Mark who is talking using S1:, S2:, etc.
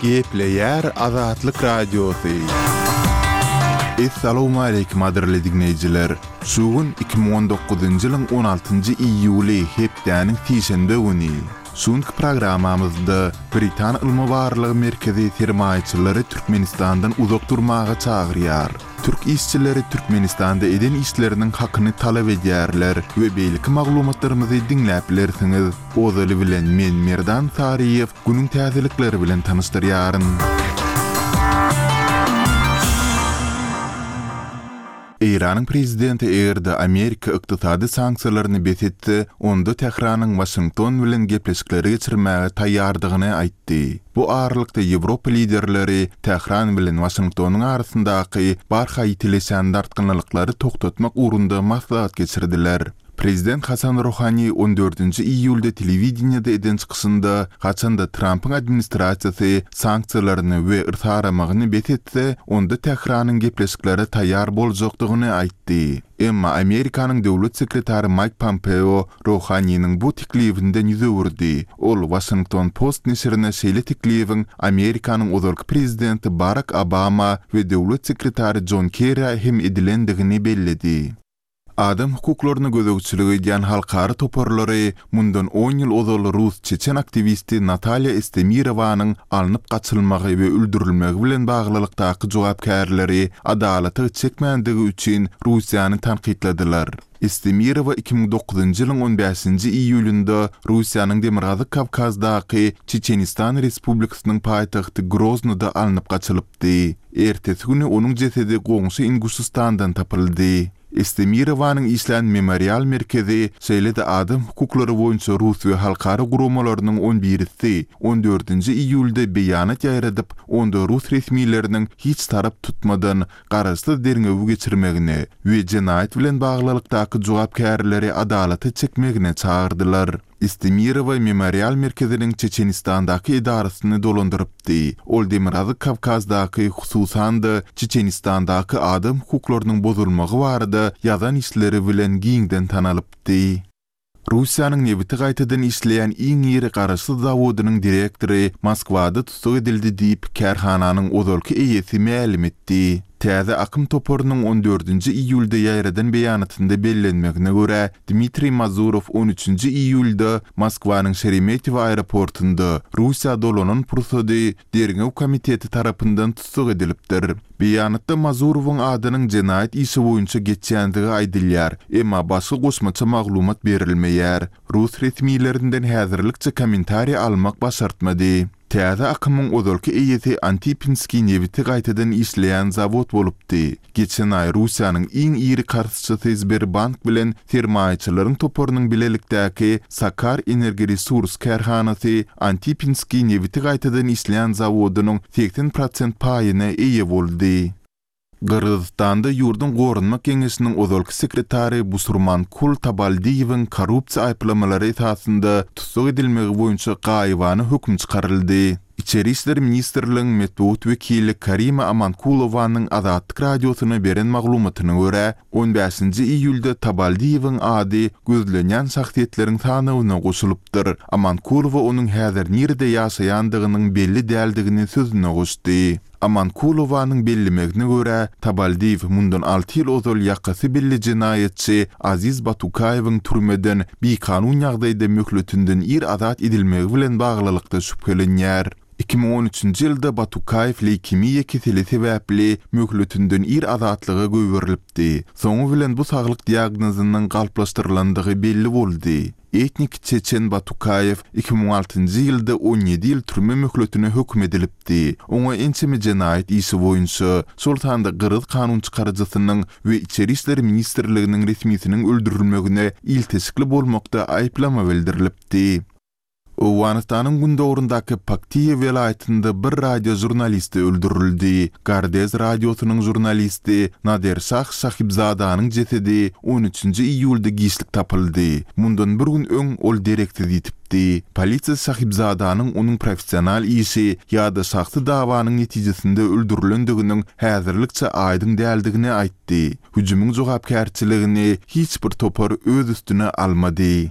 S1: Gepleýär Azatlyk Radiosy. Essalawmaleýkim gadyrly diňleýjiler! Şu gün 2019-njy ýylyň on altynjy iýuly hepdäniň sişenbe güni. Şu günki programmamyzda Britan ylmy-barlag merkezi sermaýaçylary Türkmenistandan uzak durmaga çagyrýar. Türk işçileri Türkmenistanda eden işleriniň hakyny talap edýärler we beýleki maglumatlarymyzy diňläp bilersiňiz. Ozaly bilen men Merdan Saryýew günüň täzelikleri bilen tanyşdyrýaryn. Eýranyň prezidenti eger-de Amerika ykdysady sanksiýalaryny bes etse, onda Tähranyň Waşington bilen gepleşikleri geçirmäge taýýardygyny aýtdy. Bu aralykda ýewropa liderleri Tähran bilen Waşingtonyň arasyndaky barha ýitileşýän dartgynlylyklary togtatmak ugrunda maslahat geçirdiler. Prezident Hasan Ruhani on dördünji iýulda telewideniýede eden çykyşynda, haçan-da Trampyň administrasiýasy sanksiýalaryny we yrsaramagyny bes etse, onda Tähranyň gepleşiklere taýýar boljakdygyny aýtdy. Emma Amerikanyň döwlet sekretary Maýk Pompeo Ruhaniniň bu teklibinden ýüz öwürdi. Ol Washington Post neşirine şeýle teklibiň Amerikanyň ozalky prezidenti Barak Obama we döwlet sekretary Jon Kerrä hem edilendigini belledi. Adam hukuklaryna gözegçilik edýän halkara toparlary mundan on ýyl ozal rus-çeçen aktiwisti Natalýa Estemirowanyň alnyp gaçylmagy we öldürilmegi bilen baglylykdaky jogapkärleri adalata çekmändigi üçin Russiýany tankytladylar. Estemirowa 2009-njy ýylyň on bäşinji iýulynda Russiýanyň Demirgazyk Kawkazdaky Çeçenistan Respublikasynyň paýtagty Groznyda alnyp gaçylypdy. Di. Ertesi güni onuň jesedi goňşy Inguşystandan tapyldy. Estemirowanyň işlän Memorial merkezi, şeýle-de adam hukuklary boýunça rus we halkara guramalarynyň on birisi on dördünji iýulda beýanat ýaýradyp, onda rus resmileriniň hiç tarap tutmadan, garaşsyz derňewi geçirmegine we jenaýat bilen baglylykdaky jogapkärleri adalata çekmegine çagyrdylar. Estemirowa Memorial merkeziniň Çeçenistandaky edarasyny dolandyrypdy. Ol Demirgazyk Kawkazdaky, hususan-da, Çeçenistandaky adam hukuklarynyň bozulmagy barada ýazan işleri bilen giňden tanalypdy. Russiýanyň nebiti gaýtadan işleýän iň iri garaşsyz zawodynyň direktory Moskwada tussag edildi diýip, kärhananyň ozalky eýesi mälim etdi. Täze akym toparynyň on dördünji iýulda ýaýradan beýanatynda bellenmegine görä, Dmitriý Mazurow on üçünji iýulda Moskwanyň Şeremetýewo aeroportunda Russiýa dolanan pursady Derňew komiteti tarapyndan tussag edilipdir. Beýanatda Mazurowyň adynyň jenaýat işi boýunça geçýändigi aýdylýar, emma başga goşmaça maglumat berilmeýär. Rus resmilerinden häzirlikçe kommentariý almak başartmady. Täze akymyň ozalky eýesi Antipinskiý nebiti gaýtadan işleýän zawod bolupdy. Geçen aý Russiýanyň iň iri karzçysy Sberbank bilen sermaýaçylaryň toparynyň bilelikdäki Sakar Energoresurs kärhanasy Antipinskiý nebiti gaýtadan işleýän zawodynyň 80 prosent paýyna eýe boldy. Gyrgyzystanda ýurduň Goranmak geňeşiniň ozalky sekretary Busurmankul Tabaldiýewiň korrupsiýa aýyplamalary esasynda tussag edilmegi boýunça gaýybana höküm çykaryldy. Içeri işler ministrligiň metbugat wekili Karima Amankulowanyň Azatlyk Radiosyna beren maglumatyna görä, on bäşinji iýulda Tabaldiýewiň ady gözlenýän şahsyýetleriň sanawyna goşulypdyr. Amankulowa onuň häzir nirede ýaşaýandygynyň belli däldigini sözüne goşdy. Amankulowanyň bellemegine görä, Tabaldiýew mundan alty ýyl ozal ýakasy belli jenaýatçy Aziz Batukaýewiň türmeden bikanun ýagdaýda möhletinden ir azat edilmegi bilen baglylykda şübhelenýär. 2013-nji ýylda Batukaýew leýkemiýa keseli sebäpli möhletinden ir azatlyga goýberilipdi. Soňy bilen bu saglyk diagnozynyň galplaşdyrylandygy belli boldy. Etnik çeçen Batukaýew 2006-njy ýylda 17 ýyl türme möhletine höküm edilipdi. Oňa ençeme jenaýat işi boýunça, şol sanda gyrgyz kanunçykaryjysynyň we Içeri işler ministrliginiň resmisiniň öldürilmegine ilteşikli bolmakda aýyplama bildirilipdi. Owganystanyň gündogaryndaky Paktiýa welaýatynda bir radio žurnalisti öldürildi. Gardez radiosynyň žurnalisti Nader Şah Şahibzadanyň jesedi on üçünji iýulda giçlik tapyldy. Mundan bir gün öň ol dereksiz ýitipdi. Polisiýa Şahibzadanyň onuň professional işi ýa-da şahsy dawanyň netijesinde öldürilendiginiň häzirlikçe aýdyň däldigini aýtdy. Hüjümiň jogapkärçiligini hiç bir topar öz üstüne almady.